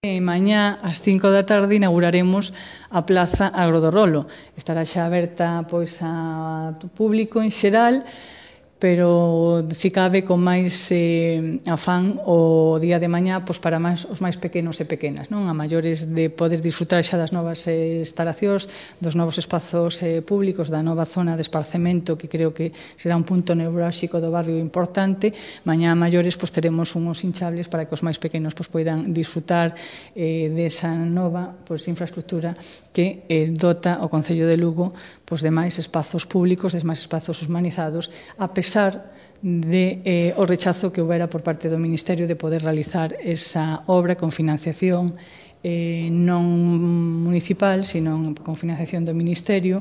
Mañá ás 5 da tarde inauguraremos a Plaza Agro do Rolo. Estará xa aberta pois a público en xeral, pero si cabe con máis afán o día de mañá pois para os máis pequenos e pequenas, non? A maiores de poder disfrutar xa das novas instalacións, dos novos espazos públicos, da nova zona de esparcemento que creo que será un punto neurálxico do barrio importante. Mañá a maiores pois teremos unhos hinchables para que os máis pequenos pois poidan disfrutar desa nova pois infraestructura que dota o Concello de Lugo pois de máis espazos públicos, de máis espazos humanizados, a pesar de o rechazo que houbera por parte do Ministerio de poder realizar esa obra con financiación non municipal, sino con financiación do Ministerio.